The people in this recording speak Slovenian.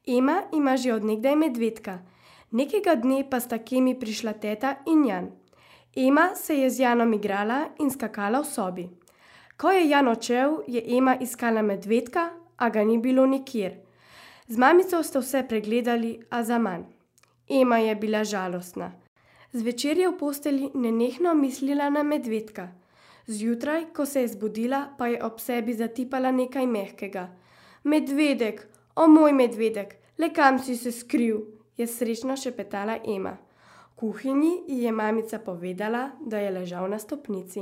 Ema ima že od nekdaj medvedka, nekega dne pa sta k Emi prišla teta in Jan. Ema se je z Janom igrala in skakala v sobi. Ko je Jan odšel, je Ema iskala medvedka, a ga ni bilo nikjer. Z mamico sta vse pregledali, a zaman. Ema je bila žalostna. Zvečer je v postelji nenehno mislila na medvedka. Zjutraj, ko se je zbudila, pa je ob sebi zatipala nekaj mehkega. Medvedek, o moj medvedek, le kam si se skril, je srečno šepetala Ema. V kuhinji ji je mamica povedala, da je ležal na stopnici.